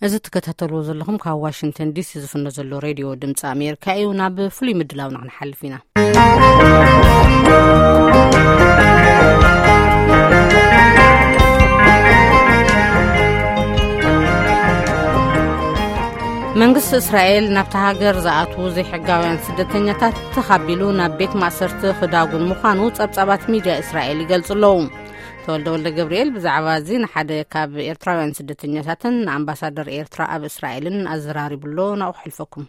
እዚ ትከታተልዎ ዘለኹም ካብ ዋሽንግተን ዲሲ ዝፍኖ ዘሎ ሬድዮ ድምፂ ኣሜሪካ እዩ። ናብ ፍሉይ ምድላውና ክንሓልፍ ኢና። መንግስቲ እስራኤል ናብታ ሃገር ዝኣትዉ ዘይሕጋውያን ስደተኛታት ተኻቢሉ ናብ ቤት ማእሰርቲ ክዳጉን ምዃኑ ጸብጻባት ሚድያ እስራኤል ይገልጹ ኣለዉ። ተወልደ ወልደ ገብርኤል ብዛዕባ እዚ ንሓደ ካብ ኤርትራውያን ስደተኛታትን ንኣምባሳደር ኤርትራ ኣብ እስራኤልን ኣዘራሪቡ ኣሎ። ናብኡ ክሕልፈኩም።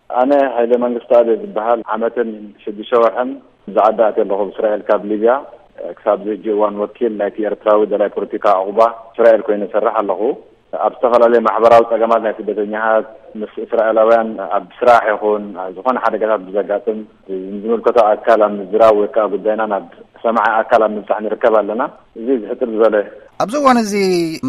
ኣነ ሃይለ መንግስቱ ኣደ ዝበሃል ዓመትን ሽዱሽተ ወርሕን ዝዓዳ ኣትየ ኣለኹ ብእስራኤል ካብ ሊብያ። ክሳብ ዝሕጂ እዋን ወኪል ናይቲ ኤርትራዊ ደላይ ፖለቲካ ዕቑባ እስራኤል ኮይነ እሰርሕ ኣለኹ። ኣብ ዝተፈላለዩ ማሕበራዊ ጸገማት ናይ ስደተኛታት ምስ እስራኤላውያን ኣብ ስራሕ ይኹን ዝኾነ ሓደጋታት ብዘጋጥም ዝምልከቶ ኣካል ኣብ ምዝራብ ወይ ከዓ ጉዳይና ናብ ሰማዒ ኣካል ኣብ ምብጻሕ ንርከብ ኣለና። እዚ ዝሕጥር ዝበለ ኣብዚ እዋን እዚ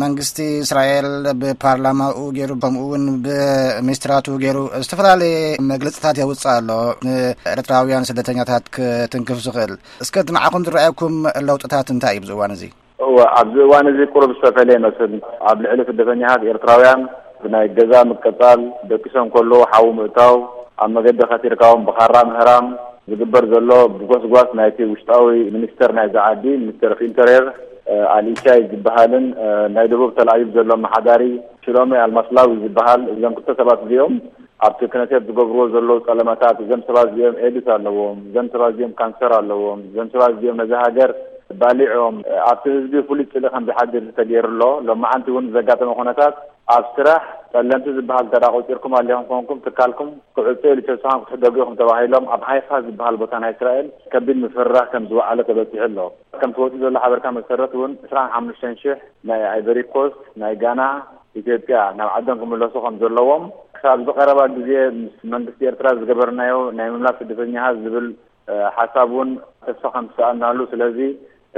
መንግስቲ እስራኤል ብፓርላማኡ ገይሩ ከምኡ እውን ብሚኒስትራቱ ገይሩ ዝተፈላለየ መግለፅታት የውፅእ ኣሎ፣ ንኤርትራውያን ስደተኛታት ክትንክፍ ዝኽእል። እስከ እቲ ንዓኹም ዝረኣየኩም ለውጥታት እንታይ እዩ ኣብዚ እዋን እዚ? እወ፣ ኣብዚ እዋን እዚ ቁሩብ ዝተፈለየ ይመስል። ኣብ ልዕሊ ስደተኛታት ኤርትራውያን ብናይ ገዛ ምቅጻል፣ ደቂሶም ከለዉ ሓዊ ምእታው፣ ኣብ መገዲ ከሲርካዎም ብኻራ ምህራም ዝግበር ዘሎ ብጎስጓስ ናይቲ ውሽጣዊ ሚኒስተር ናይዛ ዓዲ፣ ሚኒስተር ኦፍ ኢንተርየር፣ እ፣ ኣልኢሻይ ዝበሃልን፣ እ፣ ናይ ደቡብ ተልኣቪቭ ዘሎ ኣመሓዳሪ ሽሎሜ ኣልማስላዊ ዝበሃል፣ እዞም ክልተ ሰባት እዚኦም ኣብቲ ክነሴት ዝገብርዎ ዘለዉ ጸለመታት፣ እዞም ሰባት እዚኦም ኤድስ ኣለዎም፣ እዞም ሰባት እዚኦም ካንሰር ኣለዎም፣ እዞም ሰባት እዚኦም ነዛ ሃገር ባሊዖም፣ ኣብቲ ህዝቢ ፍሉይ ጽልኢ ከም ዝሓድር ተገይሩ ኣሎ። ሎማዓንቲ እውን ዘጋጠመ ኩነታት፣ ኣብ ስራሕ ጸለምቲ ዝበሃል እንተ ደኣ ቆጺርኩም ኣሊኹም ኮንኩም፣ ትካልኩም ክዕጾ ኢሉ ተስፋኹም ክትሕደጉ ኢኹም ተባሂሎም፣ ኣብ ሃይፋ ዝበሃል ቦታ ናይ እስራኤል ከቢድ ምፍርራህ ከም ዝወዓለ ተበጺሑ ኣሎ። ከምቲ ወጺኡ ዘሎ ሓበሬታ መሰረት እውን፣ ዕስራን ሓሙሽተን ሽሕ ናይ ኣይቨሪ ኮስት፣ ናይ ጋና፣ ኢትዮጵያ ናብ ዓዶም ክምለሱ ከም ዘለዎም፣ ክሳብ እዚ ቀረባ ግዜ ምስ መንግስቲ ኤርትራ ዝገበርናዮ ናይ ምምላስ ስደተኛታት ዝብል፣ እ፣ ሓሳብ እውን ተስፋ ከም ዝሰኣናሉ፣ ስለዚ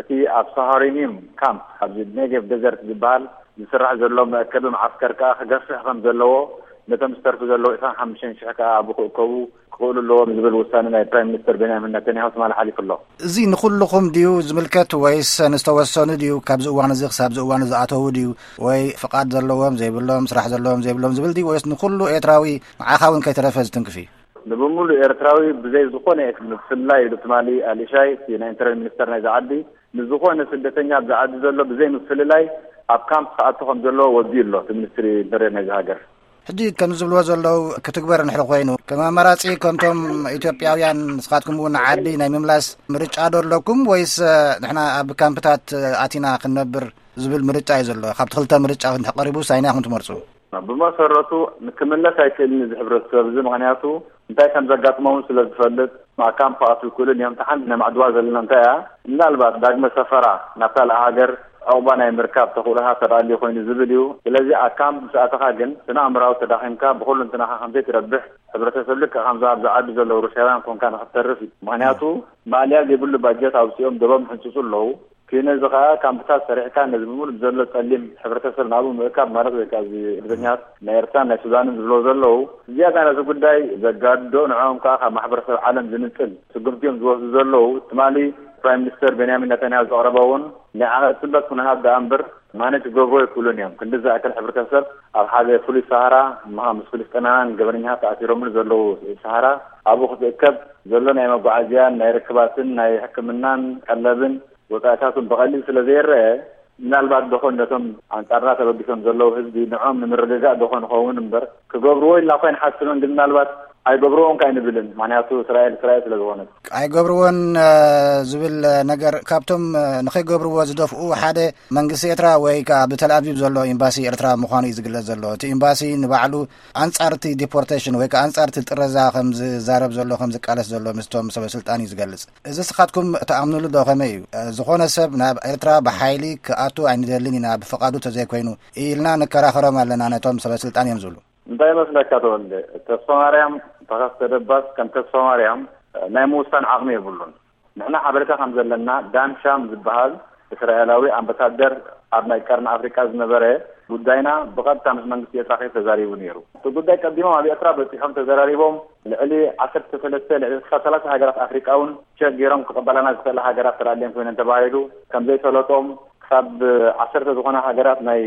እቲ ኣብ ሳሃሪኒም ካምፕ፣ ኣብዚ ኔጌቭ ደዘርት ዝበሃል ዝስራሕ ዘሎ መእከቢ መዓስከር ከኣ ክገፍሕ ከም ዘለዎ፣ ነቶም ዝተርፉ ዘለዉ ዕስራን ሓሙሽተን ሽሕ ከኣ ኣብኡ ክእከቡ ክኽእሉ ኣለዎም ዝብል ውሳነ ናይ ፕራይም ሚኒስተር ቤንያሚን ነተንያሁ ትማሊ ሓሊፉ ኣሎ። እዚ ንኹልኹም ድዩ ዝምልከት ወይስ ንዝተወሰኑ ድዩ? ካብዚ እዋን እዚ ክሳብ እዚ እዋን ዝኣተዉ ድዩ? ወይ ፍቓድ ዘለዎም ዘይብሎም፣ ስራሕ ዘለዎም ዘይብሎም ዝብል ድዩ? ወይስ ንኹሉ ኤርትራዊ ንዓኻ እውን ከይተረፈ ዝትንክፍ እዩ? ንብምሉእ ኤርትራዊ ብዘይ ዝኾነ ምፍልላይ ኢሉ ትማሊ ኣልኢሻይ፣ እቲ ናይ ኢንተርቪው ሚኒስተር ናይዛ ዓዲ፣ ንዝኾነ ስደተኛ ኣብዚ ዓዲ ዘሎ ብዘይ ምፍልላይ ኣብ ካምፕ ክኣቱ ከም ዘለዎ ወዲኡ ኣሎ፣ እቲ ሚኒስትሪ ኢንተርየር ናይዚ ሃገር። ሕጂ ከም ዝብልዎ ዘለዉ ክትግበር እንድሕር ኮይኑ፣ ከም ኣማራጺ ከምቶም ኢትዮጵያውያን ንስኻትኩም እውን ዓዲ ናይ ምምላስ ምርጫ ዶ ኣለኩም? ወይስ፣ እ፣ ንሕና ኣብ ካምፕታት፣ እ፣ ኣቲና ክንነብር ዝብል ምርጫ እዩ ዘሎ? ካብቲ ክልተ ምርጫ እንድሕር ቀሪቡስ ኣየናይ ኢኹም ትመርጹ? ብመሰረቱ ክምለስ ኣይክእልን እዚ ሕብረተሰብ እዚ፣ ምኽንያቱ እንታይ ከም ዘጋጥሞም ስለ ዝፈልጥ፣ ኣብ ካምፕ ክኣትዉ ኣይክእሉን እዮም። እታ ሓንቲ ነማዕድዋ ዘለና እንታይ እያ? ምናልባት ዳግመ ሰፈራ ናብ ካልእ ሃገር ዕቑባ ናይ ምርካብ ተኽእሎታት ተዳልዩ ኮይኑ ዝብል እዩ። ስለዚ ኣብ ካምፕ ምስ ኣተኻ ግን ስነ ኣእምራዊ ተዳኺምካ ብኹሉ እንትናኻ ከም ዘይትረብሕ፣ ሕብረተሰብ ልክዕ ከምዞም ኣብዚ ዓዲ ዘለዉ ሩስያውያን ኮንካ ንኽትተርፍ እዩ። ምኽንያቱ ማእለያ ዘይብሉ ባጀት ኣውፂኦም ደቦም ይሕንፅፁ ኣለዉ። ኪነ እዚ ኸኣ ካምፕታት ሰሪሕካ ነዚ ብምሉእ ዘሎ ጸሊም ሕብረተሰብ ናብኡ ምእካብ ማለት ወይ ከኣ እዚ ስደተኛታት ናይ ኤርትራን ናይ ሱዳንን ዝብሎ ዘለዉ፣ ዝያዳ ነዚ ጉዳይ ዘጋድዶ ንዕኦም ከኣ ካብ ማሕበረሰብ ዓለም ዝንጽል ስጉምቲ እዮም ዝወስዱ ዘለዉ። ትማሊ ፕራይም ሚኒስተር ቤንያሚን ነታንያሁ ዘቕረቦ እውን ንዓቐ ጽበት ክንሃብ ደኣ እምበር ማኔጅ ክገብርዎ ኣይክእሉን እዮም። ክንዲ ዝኣክል ሕብረተሰብ ኣብ ሓደ ፍሉይ ሰሃራ፣ እምኻ ምስ ፍልስጤማውያን ገበነኛታት ተኣሲሮምሉ ዘለዉ ሰሃራ ኣብኡ ክትእከብ ዘሎ ናይ መጓዓዝያን ናይ ርክባትን ናይ ሕክምናን ቀለብን ወጻኢታቱን ብቐሊል ስለ ዘይረአ፣ ምናልባት ደኾን ነቶም ኣንጻርና ተበጊሶም ዘለዉ ህዝቢ ንዕኦም ንምርግጋእ ደኾን ይኸውን እምበር፣ ክገብርዎ ኢልና እኳ ኣይንሓስብን፣ ግን ምናልባት ኣይገብርዎን ከ ኣይንብልን። ምኽንያቱ እስራኤል እስራኤል ስለ ዝኾነት። ኣይገብርዎን፣ እ፣ ዝብል ነገር ካብቶም፣ እ፣ ንኸይገብርዎ ዝደፍኡ ሓደ መንግስቲ ኤርትራ ወይ ከኣ ብተልኣቪቭ ዘሎ ኤምባሲ ኤርትራ ምዃኑ እዩ ዝግለጽ ዘሎ። እቲ ኤምባሲ ንባዕሉ ኣንጻር እቲ ዲፖርቴሽን ወይ ከኣ ኣንጻር እቲ ጥረዛ ከም ዝዛረብ ዘሎ፣ ከም ዝቃለስ ዘሎ ምስቶም ሰበ ስልጣን እዩ ዝገልጽ። እዚ ንስኻትኩም ትኣምኑሉ ዶ? ከመይ እዩ? እ፣ ዝኾነ ሰብ ናብ ኤርትራ ብሓይሊ ክኣቱ ኣይንደልን ኢና፣ ብፍቓዱ ተዘይኮይኑ ኢልና ንከራኸሮም ኣለና ነቶም ሰበ ስልጣን እዮም ዝብሉ። እንታይ ይመስለካ ተወልደ? ተስፋ ማርያም ተኸስተ ደባስ ከም ተስፋ ማርያም ናይ ምውሳን ዓቕሚ የብሉን። ንሕና ሓበሬታ ከም ዘለና ዳን ሻም ዝበሃል እስራኤላዊ ኣምባሳደር ኣብ ናይ ቀርኒ ኣፍሪቃ ዝነበረ ጉዳይና ብቐጥታ ምስ መንግስቲ ኤርትራ ከይዱ ተዛሪቡ ነይሩ። እቲ ጉዳይ ቀዲሞም ኣብ ኤርትራ በጺሖም ተዘራሪቦም ልዕሊ ዓሰርተ ሰለስተ ልዕሊ ክሳብ ሰላሳ ሃገራት ኣፍሪቃ እውን ቸክ ገይሮም ክቕበላና ዝኽእላ ሃገራት ተላልየን ኮይነን ተባሂሉ ከም ዘይሰለጦም ካብ ዓሰርተ ዝኾና ሃገራት ናይ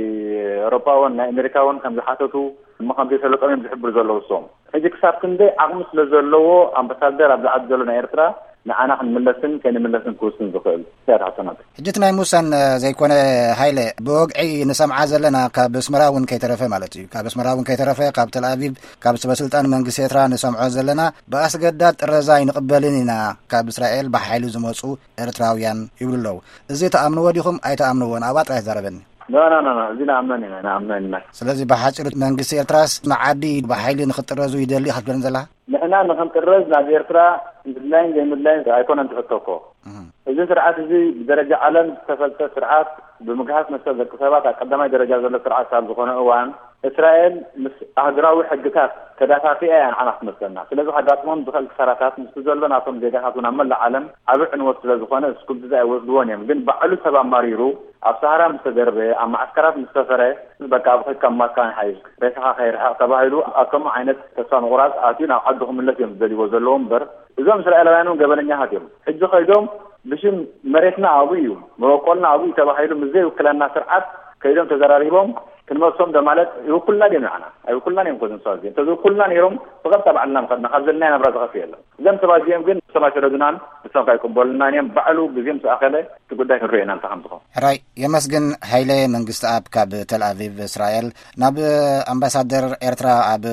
ኤውሮጳ እውን ናይ ኣሜሪካ እውን ከም ዝሓተቱ እሞ ከም ዘይሰለጦም እዮም ዝሕብሩ ዘለዉ እሶም። ሕጂ ክሳብ ክንደይ ዓቕሚ ስለ ዘለዎ ኣምባሳደር ኣብዚ ዓዲ ዘሎ ናይ ኤርትራ ንዓና ክንምለስን ከይንምለስን ክውስን ዝኽእል እያ ትሓተናት። ሕጂ እቲ ናይ ሙሳን ዘይኮነ ሃይለ ብወግዒ ንሰምዓ ዘለና ካብ ኣስመራ እውን ከይተረፈ ማለት እዩ። ካብ ኣስመራ እውን ከይተረፈ ካብ ተልኣቪቭ ካብ ሰበስልጣን መንግስቲ ኤርትራ ንሰምዖ ዘለና ብኣስገዳድ ጥረዛ ኣይንቕበልን ኢና ካብ እስራኤል ብሓይሊ ዝመፁ ኤርትራውያን ይብሉ ኣለዉ። እዚ ተኣምንዎ ዲኹም ኣይተኣምንዎን ኣብኣ ጥራይ ተዛረበኒ። ኖ ኖ ኖ እዚ ንኣምነን ኢና ንኣምነን ኢና። ስለዚ ብሓፂሩ መንግስቲ ኤርትራስ ንዓዲ ብሓይሊ ንክጥረዙ ይደሊ ክትብለኒ ዘላ? ንሕና ንክንጥረዝ ናብ ኤርትራ ምድላይን ዘይምድላይን ኣይኮነን ትሕቶ እኮ። እዚ ስርዓት እዚ ብደረጃ ዓለም ዝተፈልጠ ስርዓት ብምግሃስ መሰል ደቂ ሰባት ኣብ ቀዳማይ ደረጃ ዘሎ ስርዓት ካብ ዝኾነ እዋን እስራኤል ምስ ኣህጉራዊ ሕግታት ተዳፋፊኣ እያ ንዓና ክትመስለና። ስለዚ ከጋጥሞም ዝኽእል ክሳራታት ምስቲ ዘሎ ናቶም ዜጋታት እውን ኣብ መላእ ዓለም ዓቢ ዕንወት ስለ ዝኾነ ስጉምትታት ኣይወስድዎን እዮም። ግን ባዕሉ ሰብ ኣማሪሩ ኣብ ሰሃራ ምስ ተደርበየ ኣብ መዓስከራት ምስ ሰፈረ በቃ ኣብ ኸድካ ማካን ሓይሽ ሬሳኻ ከይርሕቕ ተባሂሉ ኣብ ከምኡ ዓይነት ተስፋ ምቑራጽ ኣትዩ ናብ ዓዱ ክምለስ እዮም ዝደልይዎ ዘለዎም እምበር እዞም እስራኤላውያን እውን ገበነኛታት እዮም። ሕጂ ከይዶም ብሽም መሬትና ኣብኡ እዩ መበቆልና ኣብኡ እዩ ተባሂሉ ምስ ዘይውክለና ስርዓት ከይዶም ተዘራሪቦም ክንመልሶም ዶ ማለት ይውክልና ድዮም ንዓና? ኣይውክልናን እዮም። ኮዝም ሰባት እዚኦም እንተዝውክሉና ነይሮም ብቐጥታ ባዕልና ምኸድና ካብ ዘለና ናብራ ዝኸፍእ የለን። እዞም ሰባት እዚኦም ግን ንሶም ኣይሰደዱናን ንሶም ከይቅበሉናን እዮም። ባዕሉ ግዜ ምስ ኣኸለ እቲ ጉዳይ ክንሪኦ ኢና እንታይ ከም ዝኾን። ሕራይ የመስግን። ሃይለ መንግስቲ ኣብ ካብ ተልኣቪቭ እስራኤል ናብ ኣምባሳደር ኤርትራ ኣብ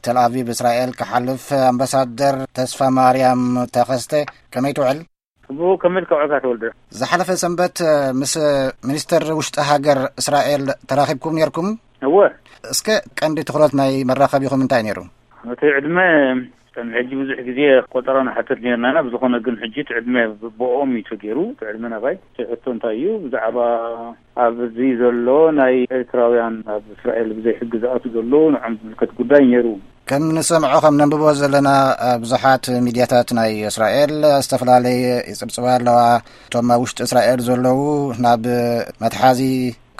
ተልኣቪቭ እስራኤል ክሓልፍ ኣምባሳደር ተስፋ ማርያም ተኸስተ ከመይ ትውዕል? ጽቡቕ ከመልካ ዕካ ተወልደ። ዝሓለፈ ሰንበት ምስ ሚኒስተር ውሽጢ ሃገር እስራኤል ተራኺብኩም ነርኩም? እወ። እስከ ቀንዲ ትኹረት ናይ መራኸቢኹም እንታይ ነይሩ? እቲ ዕድመ ከም ሕጂ ብዙሕ ግዜ ቆጠራ ንሓትት ነርና ኢና። ብዝኾነ ግን ሕጂ እቲ ዕድመ ብኦም እዩ ተገይሩ። እቲ ዕድመ ናባይ እቲ ሕቶ እንታይ እዩ? ብዛዕባ ኣብዚ ዘሎ ናይ ኤርትራውያን ኣብ እስራኤል ብዘይ ሕጊ ዝኣቱ ዘሎ ንዖም ዝምልከት ጉዳይ ነይሩ። ከም ንሰምዖ ከም ነንብቦ ዘለና ብዙሓት ሚድያታት ናይ እስራኤል ዝተፈላለየ ይጽብጽባ ኣለዋ። እቶም ኣብ ውሽጢ እስራኤል ዘለዉ ናብ መትሓዚ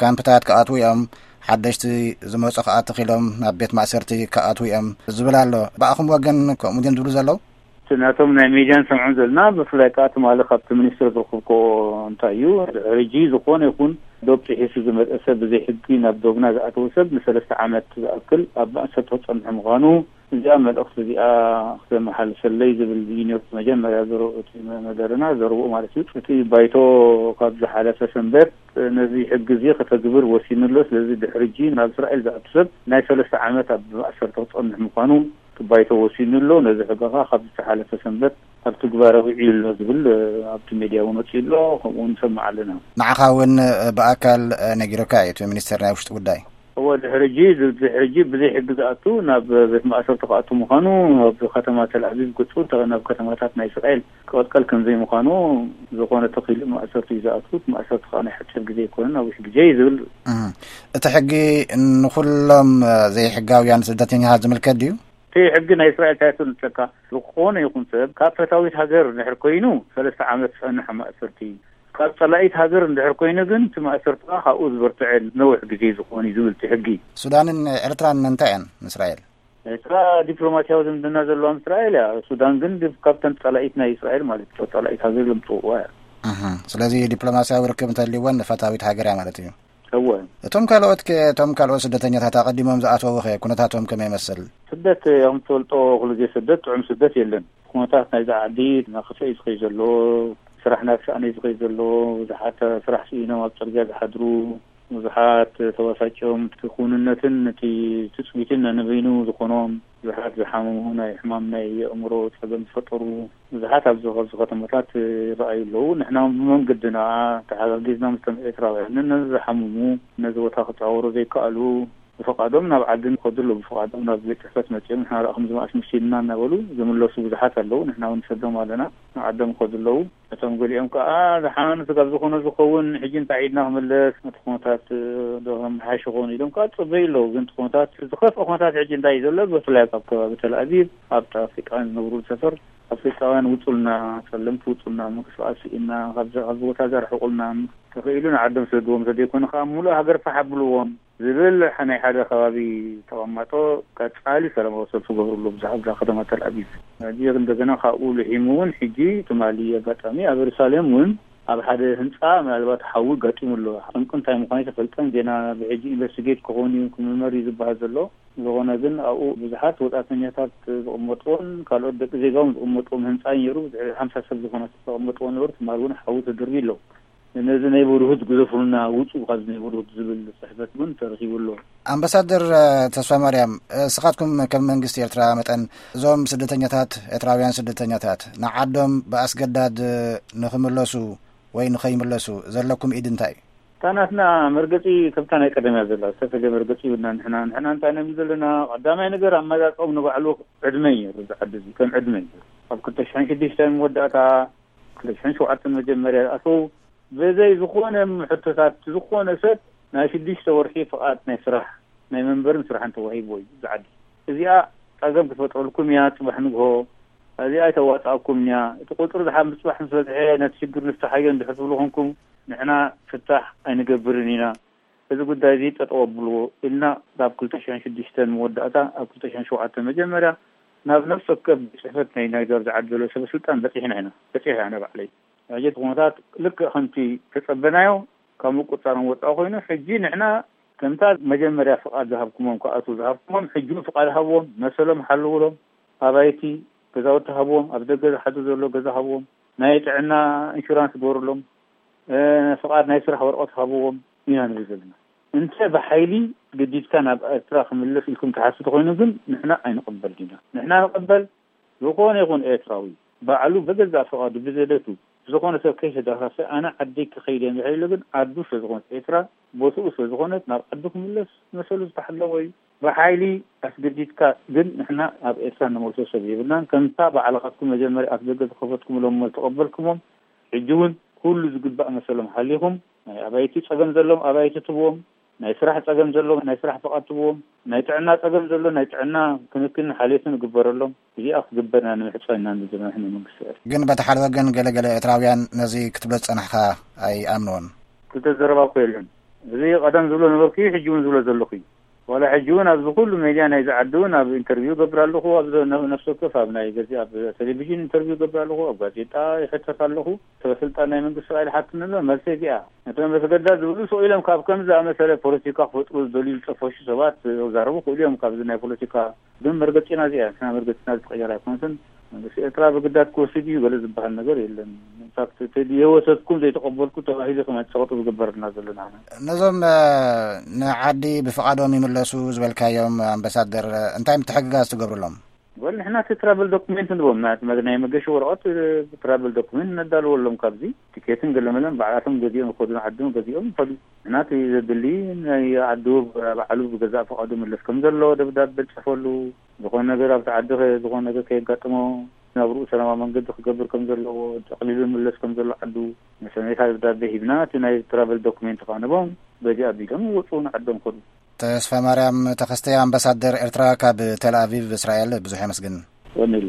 ካምፕታት ክኣትዉ እዮም። ሓደሽቲ ዝመጹ ከኣ ተኺሎም ናብ ቤት ማእሰርቲ ክኣትዉ እዮም ዝብል ኣሎ። ብኣኹም ወገን ከምኡ ድዮም ዝብሉ ዘለዉ? እቲ ናቶም ናይ ሜድያ ንሰምዖም ዘለና ብፍላይ ከኣ ትማሊ ካብቲ ሚኒስትር ዝረኸብኮ እንታይ እዩ ድሕሪ ሕጂ ዝኾነ ይኹን ዶብ ጥሒሱ ዝመጸ ሰብ ብዘይ ሕጊ ናብ ዶብና ዝኣተወ ሰብ ንሰለስተ ዓመት ዝኣክል ኣብ ማእሰርቲ ክጸንሑ ምዃኑ እዚኣ መልእኽቲ እዚኣ ክተመሓልፈለይ ዝብል እዩ ነይሩ መጀመርያ ዘረ- እቲ መደርና ዘረብኡ ማለት እዩ። እቲ ባይቶ ካብ ዝሓለፈ ሰንበት ነዚ ሕጊ እዚ ከተግብር ወሲኑ ኣሎ። ስለዚ ድሕሪ ሕጂ ናብ እስራኤል ዝኣቱ ሰብ ናይ ሰለስተ ዓመት ኣብ ማእሰርቲ ክጸንሕ ምዃኑ እቲ ባይቶ ወሲኑ ኣሎ። ነዚ ሕጊ ከኣ ካብ ዝሓለፈ ሰንበት ኣብ ትግባረ ውዒሉ ኣሎ ዝብል ኣብቲ ሜድያ እውን ወፂኡ ኣሎ። ከምኡ እውን ንሰምዕ ኣለና። ንዓኻ እውን ብኣካል ነጊሩካ እዩ እቲ ሚኒስትር ናይ ውሽጢ ጉዳይ? እወ፣ ድሕሪ ሕጂ ድሕሪ ሕጂ ብዘይ ሕጊ ዝኣቱ ናብ ቤት ማእሰርቲ ክኣቱ ምዃኑ ኣብ ከተማ ተልኣቪቭ ገፁ እንተ ናብ ከተማታት ናይ እስራኤል ክቐልቀል ከም ዘይምዃኑ ዝኾነ ተኺሉ ማእሰርቲ እዩ ዝኣቱ። እቲ ማእሰርቲ ከዓ ናይ ሓፂር ግዜ ኣይኮነን፣ ነዊሕ ግዜ እዩ ዝብል። እህ፣ እቲ ሕጊ ንኹሎም ዘይሕጋውያን ስደተኛታት ዝምልከት ድዩ? እቲ ሕጊ ናይ እስራኤል እንታይ ትብል ንሰካ? ዝኾነ ይኹን ሰብ ካብ ፈታዊት ሃገር እንድሕር ኮይኑ ሰለስተ ዓመት ዝፀንሕ ማእሰርቲ፣ ካብ ፀላኢት ሃገር እንድሕር ኮይኑ ግን እቲ ማእሰርትኻ ካብኡ ዝበርትዐ ነዊሕ ግዜ ዝኾን እዩ ዝብል እቲ ሕጊ። ሱዳንን ኤርትራን እንታይ እየን ንእስራኤል? ኤርትራ ዲፕሎማሲያዊ ዝምድና ዘለዋ ምስ እስራኤል እያ። ሱዳን ግን ዲ- ካብተን ጸላኢት ናይ እስራኤል ማለት እዩ። ጸላኢት ሃገር ኢሎም ዝጽውዕዋ እያ። እህ፣ ስለዚ ዲፕሎማሲያዊ ርክብ እንተልይወን ፈታዊት ሃገር እያ ማለት እዩ። እወ። እቶም ካልኦት ከ እቶም ካልኦት ስደተኛታት ኣቐዲሞም ዝኣተዉ ኸ ኩነታቶም ከመይ ይመስል? ስደት ከም ትፈልጦ ኩሉ ግዜ ስደት ጥዑም ስደት የለን። ኩነታት ናይዛ ዓዲ እናኸፍአ እዩ ዝኸይድ ዘሎ። ስራሕ እናተሳእነ እዩ ዝኸይድ ዘሎ። ብዙሓት ስራሕ ስኢኖም ኣብ ጽርግያ ዝሓድሩ፣ ብዙሓት ተባሳጭዮም እቲ ክውንነትን እቲ ትጽቢትን ነንበይኑ ዝኾኖም፣ ብዙሓት ዝሓመሙ፣ ናይ ሕማም ናይ ኣእምሮ ጸገም ዝፈጠሩ ብዙሓት ኣብዚ ኣብዚ ከተማታት ይረኣዩ ኣለዉ። ንሕና ብመንገድና ተሓጋጊዝና ምስቶም ኤርትራውያን ነዚ ዝሓመሙ ነዚ ቦታ ክጸዋወሩ ዘይከኣሉ ብፍቓዶም ናብ ዓዲ ንኸዱ ኣለዉ፣ ብፍቓዶም ናብ ቤት ጽሕፈት መጺኦም ንሕና ርኣኹም ዝመኣስ መሲልና እናበሉ ዝምለሱ ብዙሓት ኣለዉ። ንሕና እውን ንሰዶም ኣለና፣ ናብ ዓዶም ይኸዱ ኣለዉ። እቶም ገሊኦም ከኣ ዝሓመኑ ስጋብ ዝኾነ ዝኸውን ሕጂ እንታይ ኢድና ክምለስ፣ እቲ ኩነታት ዶ ከመሓይሽ ይኸውን ኢሎም ከኣ ዝጽበዩ ኣለዉ። ግን እቲ ኩነታት ዝኸፍአ ኩነታት ሕጂ እንታይ እዩ ዘሎ? ብፍላይ ኣብ ከባቢ ተልኣቪቭ ኣብ ኣፍሪቃውያን ዝነብሩሉ ሰፈር ኣፍሪቃውያን ውጹልና፣ ጸለምቲ ውጹልና፣ ምንቅስቃስ ስኢንና፣ ካብዚ ካብዚ ቦታ እዚ ኣርሕቁልና፣ ተኽኢሉ ንዓዶም ስደድዎም፣ እንተዘይኮነ ከኣ ምሉእ ሃገር ፋሕ ኣብልዎም ዝብል ናይ ሓደ ከባቢ ተቐማጦ ቀጻሊ ሰላማዊ ሰልፊ ገብሩ ኣሎ ብዛዕባ እዛ ከተማ ተልኣቪቭ። ሕጂ እንደገና ካብኡ ልሒሙ እውን ሕጂ ትማሊ ኣጋጣሚ ኣብ የሩሳሌም እውን ኣብ ሓደ ህንፃ ምናልባት ሓዊ ኣጋጢሙ ኣሎ። ጠንቁ እንታይ ምዃኑ ተፈልጠን። ዜና ብሕጂ ኢንቨስቲጌት ክኸውን እዩ፣ ክምርመር እዩ ዝበሃል ዘሎ። ዝኾነ ግን ኣብኡ ብዙሓት ወፃእተኛታት ዝቕመጥዎን ካልኦት ደቂ ዜጋውን ዝቕመጥዎም ህንፃ እዩ ነይሩ። ብድሕሪ ሓምሳ ሰብ ዝኾነ ዝተቐመጥዎ ነበሩ። ትማል እውን ሓዊ ተደርቢ ኣሎ። ነዚ ናይ በርሁት ግዘፉልና፣ ውፁ ካብዚ ናይ በርሁት ዝብል ፅሕፈት እውን ተረኺቡ ኣሎ። ኣምባሳደር ተስፋ ማርያም፣ እስኻትኩም ከም መንግስቲ ኤርትራ መጠን እዞም ስደተኛታት፣ ኤርትራውያን ስደተኛታት ንዓዶም ብኣስገዳድ ንኽምለሱ ወይ ንኸይምለሱ ዘለኩም ኢድ እንታይ እዩ? እታ ናትና መርገፂ ከምታ ናይ ቀደም እያ ዘላ። ዝተፈለየ መርገፂ ይብልና። ንሕና ንሕና እንታይ ነም ዘለና? ቀዳማይ ነገር ኣመራርፃኦም ንባዕሉ ዕድመ እዩ። እዚ ዓዲ እዚ ከም ዕድመ እዩ። ኣብ ክልተ ሽሕን ሽዱሽተን መወዳእታ፣ ክልተ ሽሕን ሸውዓተን መጀመርያ ኣተው። በዘይ ዝኾነ ሕቶታት ዝኾነ ሰብ ናይ ሽዱሽተ ወርሒ ፍቓድ ናይ ስራሕ፣ ናይ መንበርን ስራሕን ተዋሂብዎ እዩ እዚ ዓዲ። እዚኣ ጸገም ክትፈጥረልኩም እያ። ጽባሕ ንግሆ እዚኣ ኣይተዋጻእኩም እያ። እቲ ቁጽሪ ዝሓ-፣ ምጽባሕ ምስ በዝሐ ነቲ ሽግር ንፍታሓዮ እንድሕር ትብሉ ኮንኩም፣ ንሕና ፍታሕ ኣይንገብርን ኢና። እዚ ጉዳይ እዚ ጠጠው ኣብልዎ ኢልና፣ ካብ ክልተ ሽሕን ሽዱሽተን መወዳእታ ኣብ ክልተ ሽሕን ሸውዓተን መጀመርያ ናብ ነፍሲ ወከፍ ቤት ጽሕፈት ናይ፣ ናይ ገዛ ዓዲ ዘሎ ሰበ ስልጣን በጺሕና ኢና። በጺሐ ኣነ ባዕለይ። ሕጂ እቲ ኩነታት ልክዕ ከምቲ ተጸበናዮ ካብ ምቁጽጻሮም ወጻኢ ኮይኑ፣ ሕጂ ንሕና ከምታ መጀመርያ ፍቓድ ዝሃብኩሞም ክኣትዉ ዝሃብኩሞም፣ ሕጂ እውን ፍቓድ ሃብዎም፣ መሰሎም ሓልውሎም፣ ኣባይቲ ገዛውቲ ሃብዎም፣ ኣብ ደገ ዝሓድሩ ዘሎ ገዛ ሃብዎም፣ ናይ ጥዕና ኢንሹራንስ ግበሩሎም፣ እ፣ ፍቓድ ናይ ስራሕ ወረቐት ሃብዎም ኢና ንብል ዘለና። እንተ ብሓይሊ ገዲድካ ናብ ኤርትራ ክምለስ ኢልኩም ትሓስቡ ተኾይኑ ግን ንሕና ኣይንቕበል ኢና። ንሕና ንቕበል ዝኾነ ይኹን ኤርትራዊ ባዕሉ ብገዛእ ፍቓዱ ብዘደቱ ዝኾነ ሰብ ከይተዳፋፈ ኣነ ዓደይ ክኸይድ እየ እንድሕር ኢሉ ግን ዓዱ ስለ ዝኾነት ኤርትራ ቦትኡ ስለ ዝኾነት ናብ ዓዱ ክምለስ መሰሉ ዝተሓለወ እዩ። ብሓይሊ ኣስገዲድካ ግን ንሕና ኣብ ኤርትራ ንመልሶ ሰብ የብልናን። ከምታ ባዕልኻትኩም መጀመርያ ኣፍ ደገ ዝኸፈትኩምሎም እሞ ዝተቐበልኩሞም ሕጂ እውን ኩሉ ዝግባእ መሰሎም ሓሊኹም ናይ ኣባይቲ ጸገም ዘሎም ኣባይቲ ትብዎም፣ ናይ ስራሕ ጸገም ዘሎም ናይ ስራሕ ፍቓድ ትብዎም፣ ናይ ጥዕና ጸገም ዘሎ ናይ ጥዕና ክንክን ሓልዮትን ይግበረሎም። እዚኣ ክግበር ኢና ንምሕጸን ኢና ንብል ዘለና ንመንግስቲ ኤርትራ። ግን በቲ ሓደ ወገን ገለገለ ኤርትራውያን ነዚ ክትብሎ ዝጸናሕካ ኣይኣምንዎን። ክልተ ዘረባ እኮ የለን። እዚ ቀደም ዝብሎ ነበርኩ፣ ሕጂ እውን ዝብሎ ዘለኹ እዩ። ዋላ ሕጂ እውን ኣብዚ ኩሉ ሜድያ ናይዚ ዓዲ እውን ኣብ ኢንተርቪው ገብር ኣለኹ፣ ኣብ ዘ-፣ ነፍሲ ወከፍ ኣብ ናይ ገዚ ኣብ ቴሌቪዥን ኢንተርቪው ገብር ኣለኹ፣ ኣብ ጋዜጣ ይሕተት ኣለኹ። ሰበ ስልጣን ናይ መንግስቲ ቃል ሓትት ነሎ መልሰ እዚኣ። ነቶም በተገዳ ዝብሉ ስቕ ኢሎም ካብ ከምዚ ዝኣመሰለ ፖለቲካ ክፈጥሩ ዝደልዩ ዝጠፈሹ ሰባት ክዛረቡ ክእሉ እዮም። ካብዚ ናይ ፖለቲካ ግን መርገጺና እዚኣ፣ ንሕና መርገጺና ዝትቐየር ኣይኮነትን። መንግስቲ ኤርትራ ብግዳት ክወስድ እዩ ገለ ዝበሃል ነገር የለን። ኢንፋክት፣ ተዲ-፣ የወሰድኩም ዘይተቐበልኩ ተባሂሉ ከም ጸቕጢ ዝግበረልና ዘሎ ንሕና። ነዞም፣ እ፣ ንዓዲ ብፍቓዶም ይምለሱ ዝበልካዮም ኣምባሳደር፣ እ፣ እንታይ ምትሕግጋዝ ትገብሩሎም? ወል፣ ንሕና እቲ ትራቨል ዶኩሜንት ንቦም፣ ናይ፣ ናይ መገሺ ወረቐት፣ እ፣ ትራቨል ዶኩሜንት ነዳልወሎም። ካብዚ ቲኬትን ገለመለን ባዕላቶም ገዚኦም ይኸዱ፣ ንዓዶም ገዚኦም ይኸዱ። ንሕና እቲ ዘድሊ ናይ ዓዱ ባዕሉ ብገዛእ ፍቓዱ ምለስ ከም ዘሎ ደብዳቤ ንጽሕፈሉ፣ ዝኾነ ነገር ኣብቲ ዓዲ ከ-፣ ዝኾነ ነገር ከየጋጥሞ ናብርኡ ሰላማዊ መንገዲ ክገብር ከም ዘለዎ፣ ጠቕሊሉ ምለስ ከም ዘሎ ዓዱ መሰነይታ ደብዳቤ ሂብና፣ እቲ ናይ ትራቨል ዶኩሜንት ከዓ ንቦም በዚ ኣቢሎም ይወፁ፣ ንዓዶም ከዱ። ተስፋ ማርያም ተኸስተ፣ ኣምባሳደር ኤርትራ ካብ ቴል ኣቪቭ እስራኤል፣ ብዙሕ የመስግን። ወኒሉ።